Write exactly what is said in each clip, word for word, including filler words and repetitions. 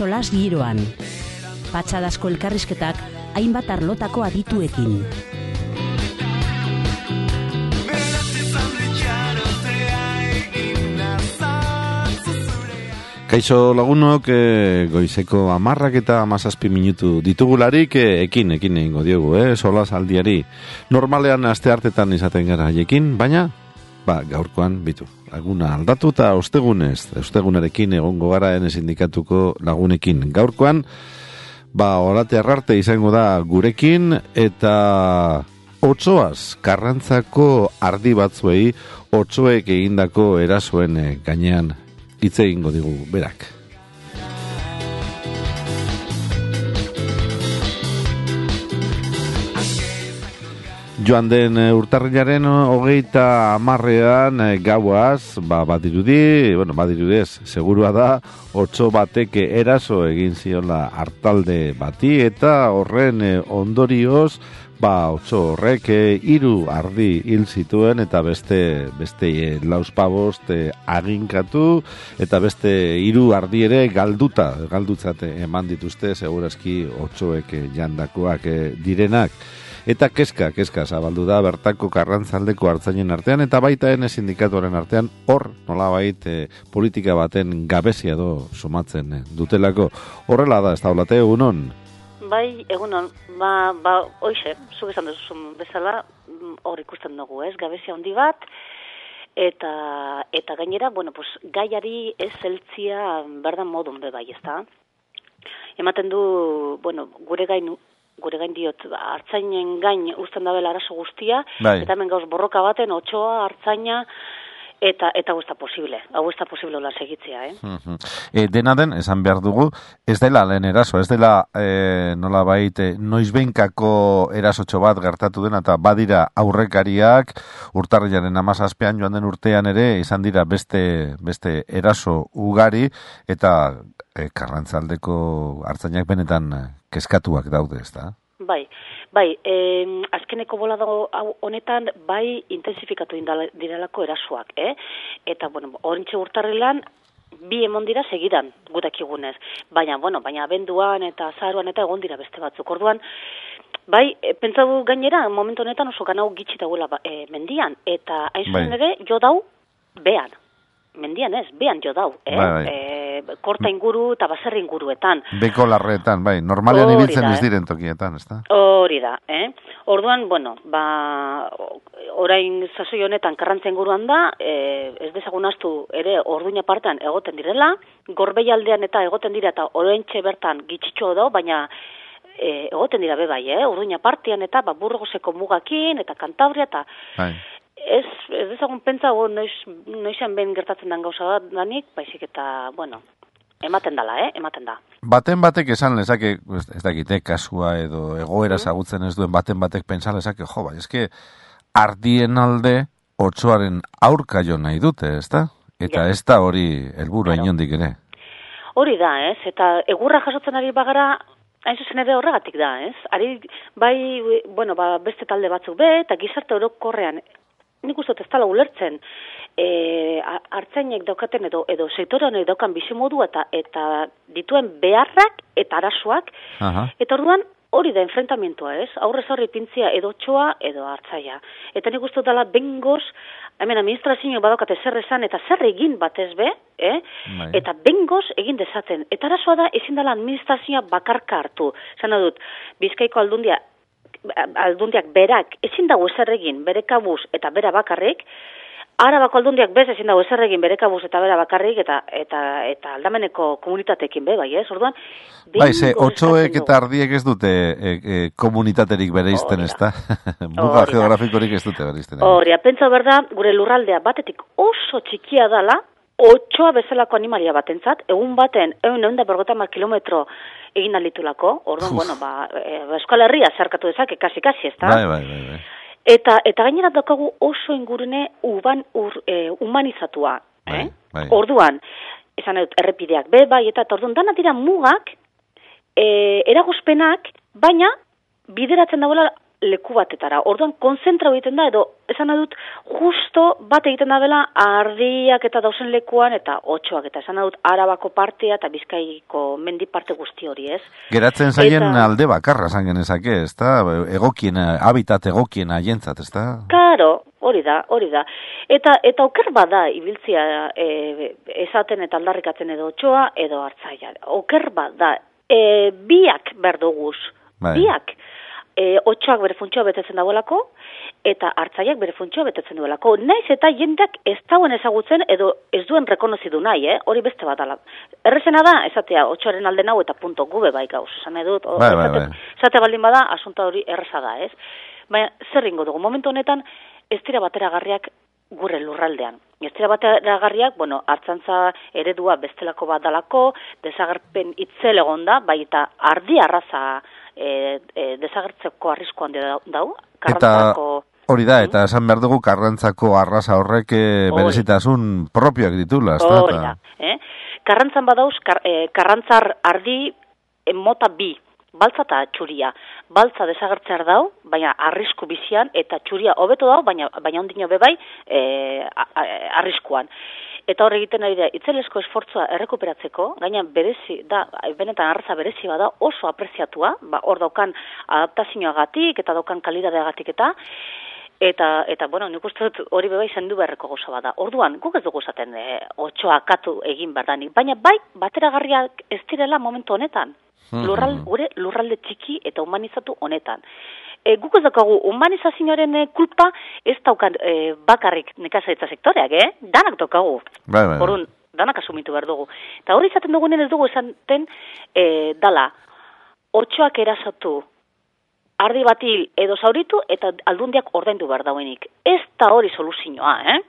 solas giroan. Patxadazko elkarrizketak hainbat arlotako adituekin. Kaixo lagunok, e, goizeko amarrak eta amazazpi minutu ditugularik, e, ekin, ekin egingo diogu, eh? Solas aldiari. Normalean aste hartetan izaten gara haiekin, baina, ba, gaurkoan, bitu, laguna aldatu eta ostegunez, ostegunarekin egongo gara ene sindikatuko lagunekin. Gaurkoan, ba, orate arrarte izango da gurekin, eta otsoaz, Karrantzako ardi batzuei, otsoek egindako erasoen gainean hitz egingo digu berak. Joan den urtarrilaren hogeita hamarrean gauaz, ba, badirudi, bueno, badirudez, segurua da, otso batek eraso egin ziola artalde bati, eta horren ondorioz, ba, otso horrek hiru ardi hil zituen eta beste beste e, lauzpabost e, aginkatu eta beste hiru ardi ere galduta, galdutzate eman dituzte segurazki otsoek e, jandakoak e, direnak. Eta keska, keska zabaldu da bertako Karrantzaldeko artzainen artean eta baita ene sindikatuaren artean hor nolabait e, politika baten gabezia do sumatzen e, dutelako. Horrela da, ez da olate egunon? Bai, egunon, ba, ba, oixe, zuk esan duzun bezala, hor ikusten dugu, ez, gabezia handi bat, eta eta gainera, bueno, pues, gaiari ez heltzia berdan modun be bai, ezta? Ematen du, bueno, gure gain, gure gain diot, hartzainen gain uzten dabela arazo guztia, bai. Eta hemen gauz borroka baten, otsoa, hartzaina, Eta eta hau ez da posible, hau ez da posible hola segitzea, eh? Uh-huh. E, dena den, esan behar dugu, ez dela lehen eraso, ez dela e, nola baite noizbeinkako erasotxo bat gertatu dena, eta badira aurrekariak, urtarrilaren hamazazpian joan den urtean ere, izan dira beste beste eraso ugari, eta e, Karrantzaldeko hartzainak benetan kezkatuak daude, ez da? Bai, bai, eh, azkeneko bolada honetan bai intensifikatu direlako erasoak, eh? Eta, bueno, orintxe urtarrilan bi emon dira segidan gutakigunez. Baina, bueno, baina abenduan eta azaroan eta egon dira beste batzuk. Orduan, bai, e, pentsatu gainera, momentu honetan oso ganau gitxi dagoela e, mendian. Eta hain zuen ere, jo dau behan. Mendian ez, behan jo dau, eh? Bai, bai. E, korta inguru eta baserri inguruetan. Beko larreetan, bai, normalean ibiltzen ez diren tokietan, ez da? Hori da, eh? Orduan, bueno, ba, orain sasoi honetan Karrantza inguruan da, eh, ez dezagun astu ere Orduña partean egoten direla, Gorbeialdean eta egoten dira eta oraintxe bertan gitxitxo da, baina eh, egoten dira be bai, eh? Orduña partean eta ba, Burgoseko mugakin eta Kantabria eta... Bai. Ez, ez dezagun pentsa, noiz, noizean behin gertatzen den gauza bat danik, baizik eta, bueno, ematen dala, eh? Ematen da. Baten batek esan lezake, ez dakite, kasua edo egoera zagutzen ez duen, baten batek pentsa lezake, jo, bai, eske ardien alde otsoaren aurka jo nahi dute, ez da? Eta ja. Ez da hori helburua claro. Inondik ere. Hori da, ez? Eta egurra jasotzen ari bagara, hain zuzen ere horregatik da, ez? Ari, bai, bueno, ba, beste talde batzuk be, eta gizarte orokorrean, nik uste ez dela ulertzen, e, hartzainek daukaten edo, edo sektorean daukan bizimodu eta eta dituen beharrak eta arazoak, eta orduan hori da enfrentamientoa, ez? Aurrez aurre pintzia edo txoa edo hartzaia. Eta nik uste dela bengoz, hemen administrazio badaukate zer esan eta zer egin batez be, eh? Eta bengoz egin dezaten. Eta arazoa da ezin dela administrazioa bakarka hartu. Zena dut, Bizkaiko aldundia, aldundiak berak ezin dago ezer egin bere kabuz eta bera bakarrik, Arabako aldundiak bez ezin dago ezer egin bere kabuz eta bera bakarrik eta eta eta aldameneko komunitateekin be bai, ez? Orduan, bai, ze otsoek eta ardiek ez dute e, e, komunitaterik bereizten, ezta? Muga geografikorik ez dute bereizten. Hori, pentsa berda, gure lurraldea batetik oso txikia dala, otsoa bezalako animalia batentzat, egun baten ehun eta berrogeita hamar kilometro egin alitulako, orduan, bueno, ba, e, Euskal Herria zerkatu dezake, kasi-kasi, ez da? Bai, bai, bai, bai. Eta, eta gainera daukagu oso ingurune uban, ur, e, humanizatua, bai, eh? Bai. Orduan, esan dut, errepideak, be, bai, eta orduan, dana dira mugak, e, eragozpenak, baina, bideratzen dagoela leku batetara. Orduan, konzentrau egiten da, edo, esan dut, justo bat egiten da bela, ardiak eta dausen lekuan, eta otxoak, eta esan dut, Arabako partea eta Bizkaiko mendi parte guzti hori, ez? Geratzen zaien eta, alde bakarra zan genezake, ez da? Egokiena, habitat egokiena jentzat, ez da? Karo, hori da, hori da. Eta, eta oker bada, ibiltzia e, esaten eta aldarrikatzen edo otxoa, edo hartzaia. Oker bada, e, biak berduguz, bai. biak. E, otxoak bere funtzioa betetzen dagoelako, eta hartzaiak bere funtzioa betetzen duelako. Naiz eta jendeak ez dauen ezagutzen, edo ez duen rekonozidu nahi, eh? Hori beste bat ala. Errezena da, esatea, otxoaren alde nau eta punto gube bai gauz. Esan edut, bai, bai, bai. esate baldin bada, asunta hori erreza da, ez? Baina, zer ringo dugu, momentu honetan, ez dira bateragarriak gure lurraldean. Ez dira bateragarriak, bueno, hartzantza eredua bestelako bat dalako, desagerpen itzel egon da, bai eta ardi arraza e, e, desagertzeko arrisko handi dau, karrantzako... Hori da, eta esan behar dugu karrantzako arraza horrek berezitasun propioak ditula. Hori da, eh? Karrantzan badauz, kar, eh, karrantzar ardi eh, mota bi, baltza eta txuria. Baltza desagertzear dau, baina arrisku bizian, eta txuria hobeto dau, baina, baina ondino bebai eh, arriskuan. Eta hor egiten ari da, itzelesko esfortzua errekuperatzeko, gaina berezi, da, benetan arraza berezi bada oso apreziatua, ba, hor daukan adaptazioagatik eta daukan kalidadeagatik eta, Eta, eta bueno, nik uste dut hori bebai zendu beharreko gauza bada. Orduan, guk ez dugu zaten e, otxoa katu egin berdanik, baina bai, bateragarriak ez direla momentu honetan. Lurral, gure lurralde txiki eta humanizatu honetan. E, guk ez daukagu humanizazioaren e, kulpa ez daukan e, bakarrik nekazaritza sektoreak, eh? Danak daukagu. Bai, bai. Orduan, danak asumitu behar dugu. Eta hori izaten dugunen ez dugu esaten e, dala, otxoak erasatu, ardi batil edo zauritu eta aldundiak ordaindu behar dauenik. Ez da hori soluzioa, eh?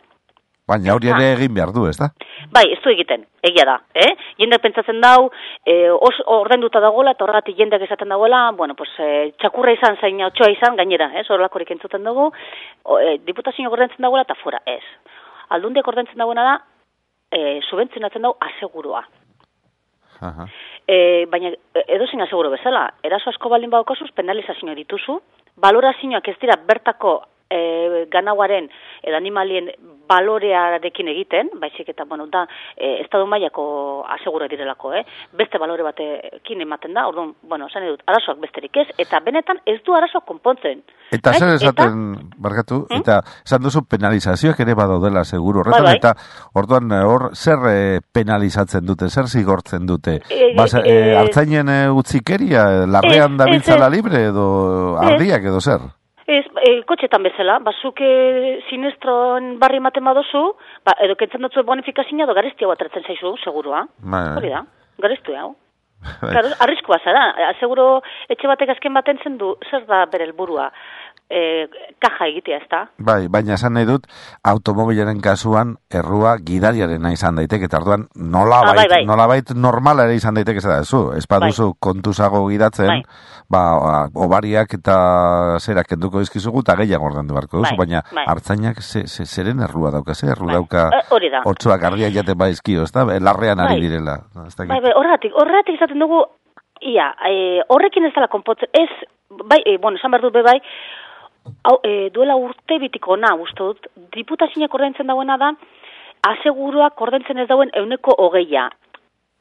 Baina hori ere egin behar du, ez da? Bai, ez du egiten, egia da, eh? Jendeak pentsatzen dau, eh, os, ordainduta dagoela, eta horregatik jendeak esaten dagoela, bueno, pues, eh, txakurra izan, zain otxoa izan, gainera, eh? Horrelakorik entzuten dugu, eh, diputazioak ordaintzen dagoela, eta fora, ez. Aldundiak ordaintzen dagoena da, eh, subentzionatzen dau asegurua. Aha. E, baina edozein aseguro bezala, eraso asko baldin badokazuz, penalizazioa dituzu, balorazioak ez dira bertako e, ganauaren edo animalien balorearekin egiten, baizik eta, bueno, da, e, estadu mailako aseguro direlako, eh? Beste balore batekin ematen da, orduan, bueno, esan edut, arazoak besterik ez, eta benetan ez du arazoak konpontzen. Eta zer esaten, eta, barkatu, hmm? eta esan duzu penalizazioak ere badaudela seguro horretan, bai, bai. Eta orduan hor zer e, penalizatzen dute, zer zigortzen dute? E, Bas, e, e, hartzainen e, utzikeria, larrean da biltzala libre edo ardiak edo zer? Ez, e, kotxetan bezala, bazuk e, sinestron barri ematen badozu, ba, edo kentzen dutzu bonifikazioa edo garestia bat atratzen zaizu, segurua. Hori da, garestu hau. Claro, arriskua zara, seguro etxe batek azken baten zen du, zer da bere helburua, e, kaja egitea, ez da? Bai, baina esan nahi dut, automobilaren kasuan errua gidariarena izan daiteke, eta orduan nolabait, ah, bai, bai. nolabait normala ere izan daiteke, zera zu, ez baduzu bai. kontuzago gidatzen, bai. ba, obariak eta zerak kenduko dizkizugu, eta gehiago ordendu beharko duzu, bai, baina bai. Hartzainak ze, ze, zeren errua dauka, ze erru bai. dauka e, otsoak ardiak jaten baizkio, ez da, larrean ari bai. direla. Bai, bai, horretik, horretik izaten dugu, ia, e, horrekin ez dela konpotzen, ez, bai, e, bueno, esan behar dut be bai, hau, e, duela urte bitiko na, uste dut, diputazioak ordaintzen dagoena da, aseguruak ordaintzen ez dauen euneko hogeia.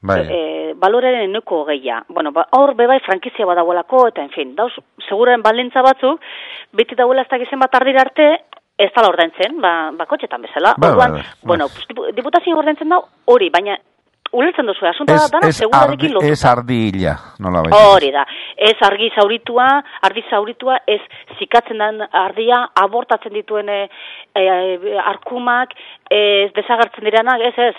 Bai. E, baloraren euneko hogeia. Bueno, ba, hor bebai frankizia badagoelako, eta en fin, dauz, seguren balintza batzuk, beti dagoela ez da gizen bat ardira arte, ez dala ordaintzen, ba, ba kotxetan bezala. Ba, Orduan, ba, ba. bueno, pues, diputazioak ordaintzen dau, hori, baina, ulertzen duzu, asunta da dana segurarekin lotuta. Ez ardi hila, nola baita. Hori da, ez argi zauritua, ardi zauritua, ez zikatzen den ardia, abortatzen dituen e, e, arkumak, ez desagertzen direnak, ez ez.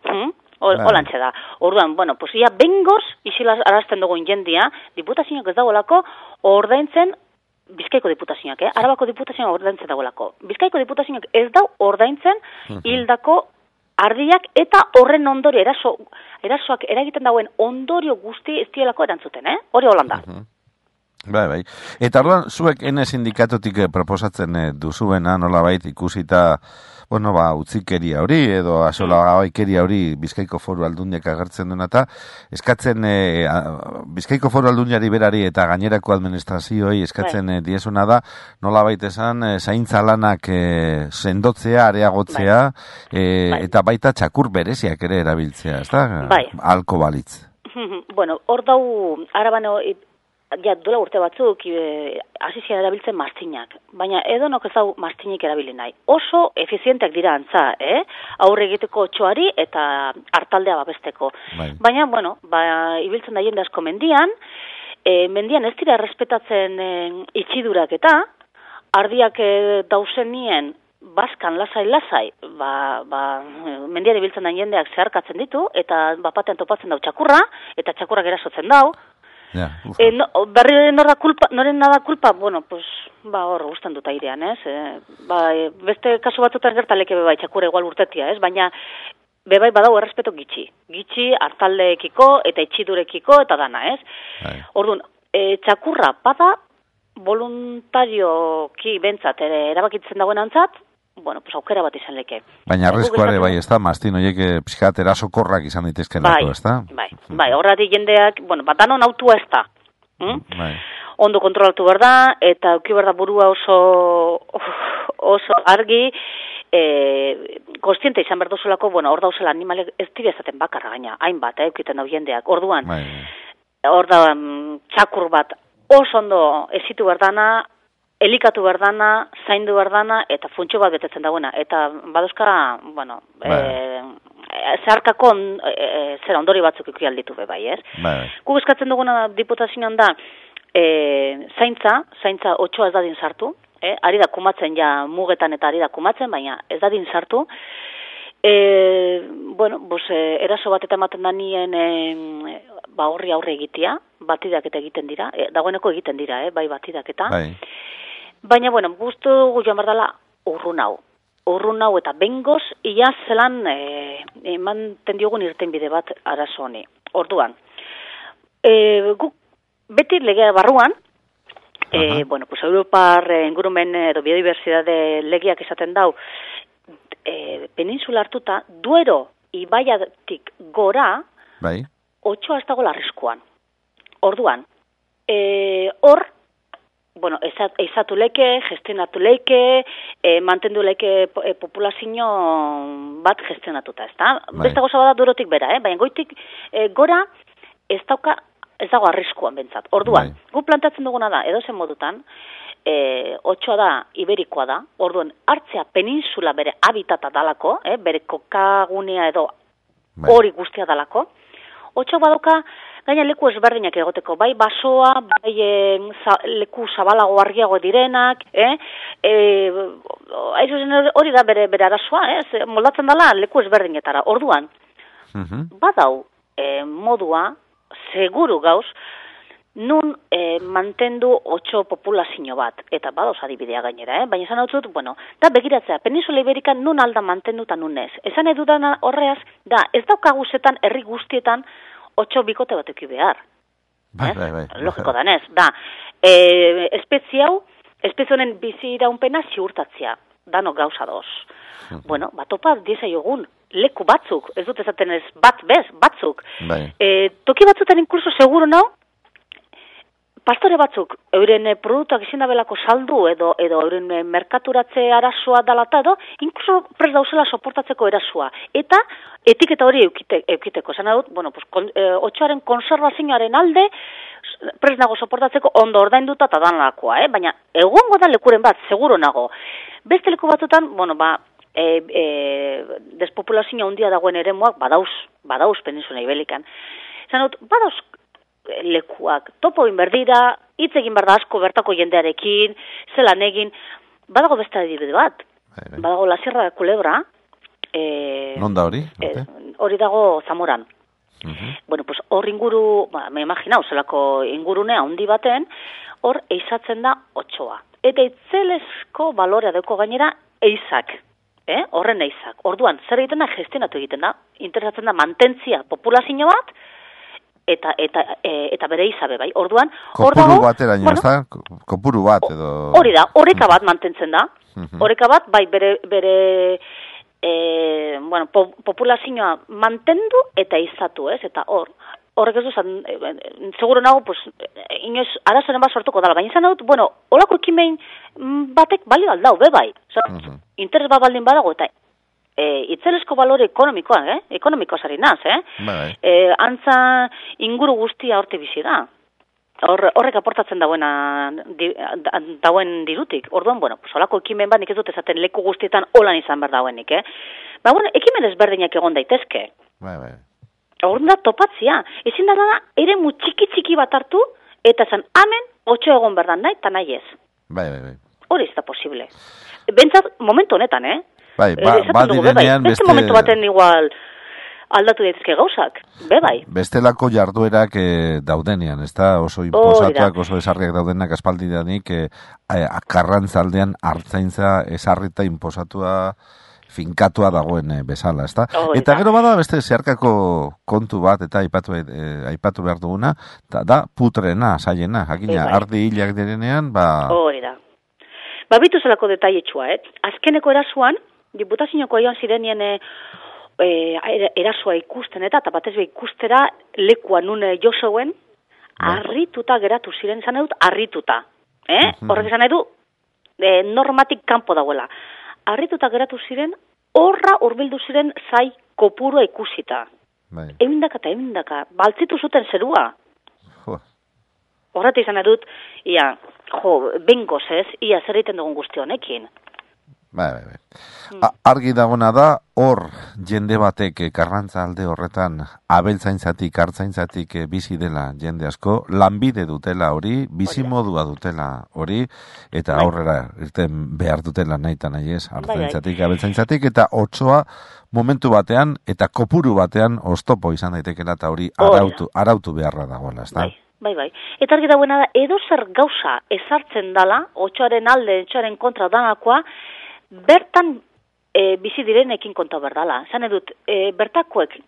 Hmm? Holantxe da. Orduan, bueno, pues ia bengoz, isila arazten dugun jendia, diputazioak ez dagoelako, ordaintzen Bizkaiko diputazioak, eh? Arabako diputazioak ordaintzen dagoelako. Bizkaiko diputazioak ez dau ordaintzen hildako ardiak eta horren ondorio, eraso, erasoak eragiten dauen ondorio guzti ez dielako erantzuten, eh? Hori holanda. Uh -huh. Bai, bai. Eta orduan, zuek ene sindikatotik proposatzen duzuena, nolabait ikusita, bueno, ba, utzikeria hori, edo asola gabaikeria hori Bizkaiko Foru Aldundiak agertzen duena, eta eskatzen e, a, Bizkaiko Foru Aldundiari berari eta gainerako administrazioei eskatzen e, diezuna da, nolabait esan, e, zaintza lanak e, sendotzea, areagotzea, bai. E, bai. Eta baita txakur bereziak ere erabiltzea, ez da? Bai. Alko balitz. Bueno, hor dau, arabano, ja, dola urte batzuk, hasi zian erabiltzen maztinak. Baina edonok ez dau maztinik erabili nahi. Oso efizienteak dira antza, eh? Aurre egiteko otxoari eta hartaldea babesteko. Bai. Baina, bueno, ba, ibiltzen da jende asko mendian, e, mendian ez dira errespetatzen e, itxidurak eta, ardiak e, dausen nien, baskan lasai-lasai, ba, ba, mendian ibiltzen da jendeak zeharkatzen ditu, eta bapatean topatzen dau txakurra, eta txakurrak erasotzen dau. Ja, e, no, berri nora kulpa, noren nada kulpa, bueno, pues, ba, hor, gustan dut airean, ez? E, ba, e, beste kasu batzutan gertaleke bebai, txakurra igual urtetia, ez? Baina, bebai badau errespeto gitxi. Gitxi, hartaldeekiko, eta itxidurekiko, eta dana, ez? Hai. Orduan, e, txakurra, bada, voluntarioki bentsat, ere, erabakitzen dagoen antzat, bueno, pues aukera bat izan leke. Baina arrizkoare bai, ez da, mastin horiek pixkat erasokorrak izan daitezken bai, ez da? Bai, bai, horretik jendeak, bueno, bat danon autua ez da. Hm? Bai. Ondo kontrolatu behar da, eta auki behar da burua oso, oso argi, e, konstiente izan behar duzulako, bueno, hor dauzela animalek ez dira ezaten bakarra gaina, hainbat, eh, eukiten hau jendeak. Orduan, bai, bai. Hor da, txakur bat oso ondo ezitu behar dana, elikatu berdana, zaindu berdana, eta funtxo bat betetzen dagoena. Eta baduzka, bueno, bai. e, zeharkako e, zera ondori batzuk ikusi alditu be bai, ez? Bai. Guk eskatzen duguna diputazioan da, e, zaintza, zaintza otxoa ez dadin sartu, eh? Ari da kumatzen ja mugetan eta ari da kumatzen, baina ez dadin sartu. E, bueno, bos, e, eraso bat eta ematen da nien e, ba horri aurre egitea, batidak eta egiten dira, e, dagoeneko egiten dira, eh? Bai batidak eta. Bai. Baina, bueno, guztu joan berdala urrun hau. Urrun hau eta bengoz, ia zelan e, emanten diogun irten bide bat arazo honi. Orduan, e, guk beti legea barruan, e, bueno, pues Europar ingurumen edo biodibertsitate legeak esaten dau, e, peninsula hartuta, Duero ibaiatik gora, bai. Otxoa ez dago larrizkoan. Orduan, e, hor, bueno, eizatu leke, gestionatu leke, e, mantendu leke e, populazio bat gestionatuta, ez da? Bai. Beste goza bada Duerotik bera, eh? Baina goitik e, gora ez dauka, ez dago arriskuan bentsat. Orduan, bai. Gu plantatzen duguna da, edo zen modutan, e, otxoa da, iberikoa da, orduan, hartzea peninsula bere habitata dalako, eh? Bere kokagunea edo bai. Hori guztia dalako, otxoa badoka, gaina leku ezberdinak egoteko, bai basoa, bai e, za, leku zabalago argiago direnak, eh? E, hori da bere, bere arazoa, eh? Moldatzen dela leku ezberdinetara. Orduan, uh-huh. Badau e, modua, seguru gauz, nun e, mantendu otxo populazio bat, eta badauz adibidea gainera, eh? Baina esan hau dut, bueno, da begiratzea, Peninsula Iberikan nun alda mantendu eta nun ez. Esan edudan horreaz, da, ez daukaguzetan, herri guztietan, otxo bikote bat eki behar. Bai, bai, bai. Logiko danez, da. E, espezie hau, espezie honen bizi iraunpena ziurtatzea. Dano gauza doz. Uh-huh. Bueno, batopa dieza jogun, leku batzuk, ez dut ezaten ez bat bez, batzuk. Bai. E, toki batzutan inkluso seguro nau, pastore batzuk, euren produktuak izin dabelako saldu edo edo euren merkaturatze arazoa dalata edo, inkluso prest dauzela soportatzeko erasoa. Eta etiketa hori eukite, eukiteko. Zena dut, bueno, pues, kon, e, otxoaren konservazioaren alde, prest nago soportatzeko ondo ordainduta eta danlakoa, eh? Baina egongo da lekuren bat, seguro nago. Beste leku batzutan, bueno, ba, e, e, despopulazioa handia dagoen eremuak, badauz, badauz Peninsula Iberikan. Zena dut, badauz, lekuak, topo inberdira, hitz egin behar da asko bertako jendearekin, zelan egin, badago beste adibide bat, bai, bai. Badago la Sierra de Culebra, e, non da hori? E, hori dago Zamoran. Uh-huh. Bueno, pues hor inguru, ba, me imaginau, zelako ingurunea handi baten, hor eizatzen da otxoa. Eta itzelesko balorea deuko gainera eizak, eh? Horren eizak. Orduan, zer egiten da, gestionatu egiten da, interesatzen da mantentzia populazio bat, eta eta e, eta bere izabe, bai. Orduan, hor dago kopuru bateraino, bueno, ezta? Kopuru bat edo hori da, oreka bat mantentzen da. Oreka bat bai bere bere e, bueno, po, populazioa mantendu eta izatu, ez? Eta hor horrek ez duzan, e, seguro nago, pues, inoiz, arazoren bat sortuko dala, baina izan dut, bueno, holako ekimein batek balio aldau, be bai. Osa, uh -huh. Interes bat baldin badago, eta e, itzelesko balore ekonomikoa, eh? Ekonomikoa zari naz, eh? Bai. E, antza inguru guztia horte bizi da. Hor, horrek aportatzen dauena, di, dauen dirutik. Orduan, bueno, pues, holako ekimen bat nik ez dut esaten leku guztietan holan izan behar dauenik, eh? Ba, bueno, ekimen ezberdinak egon daitezke. Bai, bai. Horren da topatzia. Ezin da da, ere mu txiki-txiki bat hartu, eta zen, amen, otxo egon berdan nahi, eta nahi ez. Bai, bai, bai. Hori ez da posible. Bentsat, momentu honetan, eh? Bai, ba, e, ba direnean beste... Beste momentu baten igual aldatu daitezke gauzak, be bai. Bestelako jarduerak e, daudenean, ez da? Oso imposatuak, oso esarriak daudenak aspaldidanik, e, akarrantzaldean hartzaintza esarrita imposatua finkatua dagoen bezala, ezta? Oh, eta gero bada beste zeharkako kontu bat eta aipatu eh, aipatu behar duguna, da, da putrena, saiena, jakina, bai. Ardi hilak direnean, ba... Hori da. Ba, bitu zelako detaietxua, eh? Azkeneko erasuan, diputazinoko joan zirenien e, erasua ikusten eta, eta batez be ikustera lekua nune josoen, harrituta geratu ziren, izan edut, harrituta. Eh? Uh -huh. Horrek izan edu, e, normatik kanpo dagoela. Harrituta geratu ziren, horra hurbildu ziren zai kopurua ikusita. Bai. Emindaka eta emindaka, baltzitu zuten zerua. Horreta izan edut, ia, jo, bengoz ez, ia zer egiten dugun guzti honekin. Bai, bai, bai. Hmm. Argi dagona da, hor jende batek Karrantza alde horretan abeltzaintzatik, hartzaintzatik bizi dela jende asko, lanbide dutela hori, bizi modua dutela hori, eta bai. Aurrera irten behar dutela nahi eta nahi ez, hartzaintzatik, bai, abeltzaintzatik, eta otsoa momentu batean, eta kopuru batean oztopo izan daitekela, eta hori arautu, arautu beharra dagoela, ez da? Bai. Bai, bai. Eta argi dagoena da, edo zer gauza ezartzen dala, otsoaren alde, otsoaren kontra danakoa, bertan e, bizi direnekin konta berdala. Zan edut, e, bertakoek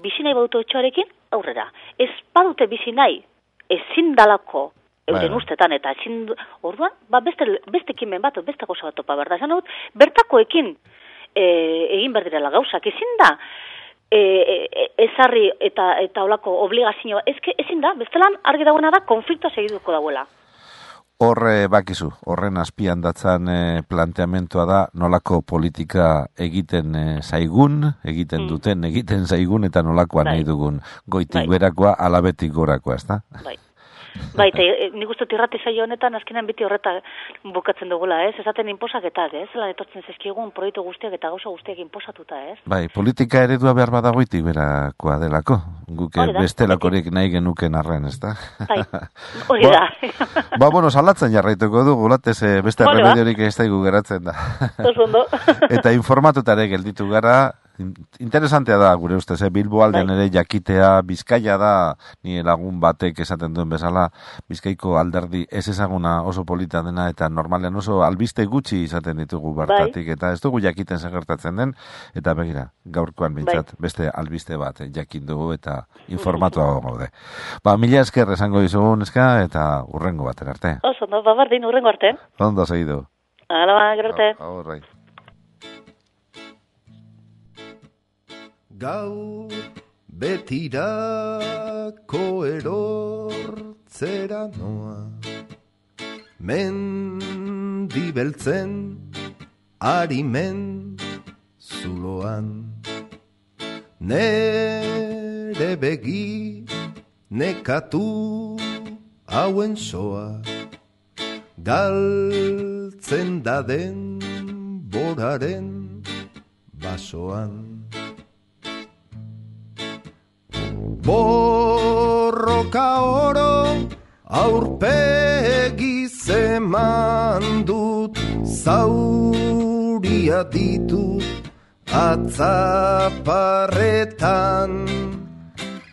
bizi nahi badute otsoarekin, aurrera. Ez badute bizi nahi, ezin dalako, euren ustetan, eta ezin, orduan, ba, beste, beste kimen bat, beste gauza bat topa berda. Zan edut, bertakoekin e, egin berdirela gauzak, ezin da, E, e, ezarri eta eta olako obligazioa, ezke ezin da, bestelan argi dagoena da konfliktoa segituko dagoela. Horre bakizu, horren azpian datzan e, planteamentua da nolako politika egiten e, zaigun, egiten mm. duten, egiten zaigun eta nolakoa bai. Nahi dugun goitik bai. Berakoa, alabetik gorakoa, ez da? Bai. Bai, eta nik uste irrati saio honetan azkenean biti horreta bukatzen dugula, ez? Ezaten inposaketak, ez? Zelan etortzen zezkigun proiektu guztiak eta gauza guztiak inposatuta, ez? Bai, politika eredua behar badagoitik berakoa delako. Guke bestelakorik nahi genuken arren, ez da? Bai, hori da. Ba, ba, bueno, salatzen jarraituko du, gulatez beste remediorik ez daigu geratzen da. Eta informatutare gelditu gara, interesantea da gure ustez, eh? Bilbo aldean ere jakitea, Bizkaia da, ni lagun batek esaten duen bezala, Bizkaiko alderdi ez ezaguna oso polita dena, eta normalean oso albiste gutxi izaten ditugu bertatik, eta ez dugu jakiten zer gertatzen den, eta begira, gaurkoan bintzat, beste albiste bat eh, jakin dugu, eta informatua gaude. Ba, mila esker esango dizugun eska, eta urrengo baten arte. Oso, no, babardin, urrengo arte. Ondo segidu. Hala, ba, gero arte. Horrai. Gaur betirako erortzera noa, mendibeltzen arimen zuloan, nere begi nekatu hauen soa, galtzen daden boraren basoan. Borroka oro aurpegi zeman dut, zauria ditut atzaparretan,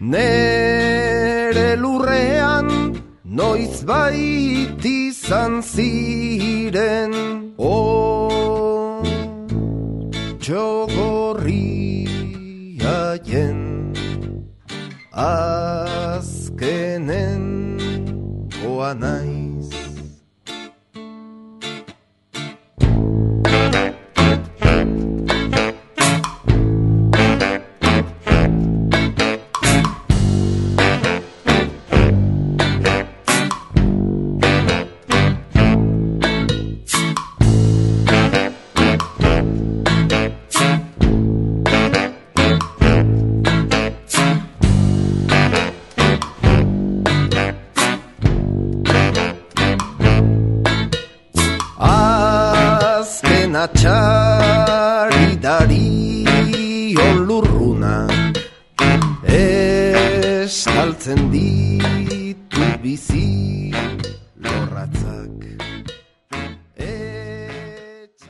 nere lurrean noiz bait izan ziren, o txogorri haien az azkenen oa naiz. Txaridari olurruna estaltzen ditu bizi